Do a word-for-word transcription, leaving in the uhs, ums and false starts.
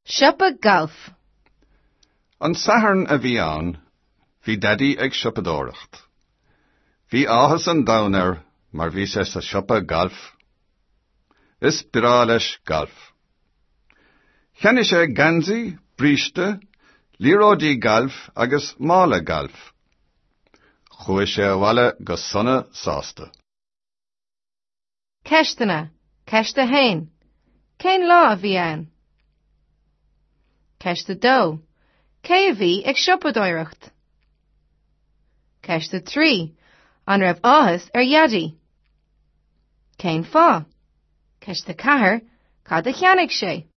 Siopa Gailf. An Satharn a bhí ann, bhí Daidí ag siopadóireacht. Bhí áthas an domhain air mar bhí sé sa siopa gailf. Is breá leis galf. Cheannaigh sé geansaí, bríste, liathróidí gailf agus mála gailf. Chuaigh sé abhaile go sona sásta. Ceisteanna. Ceist a haon. Cén lá a bhí ann? Ceist a dó. Cé a bhí ag siopadóireacht? Ceist a trí. An raibh áthas ar Dhaidí? Cén fáth? Ceist a ceathair. Cad a cheannaigh sé?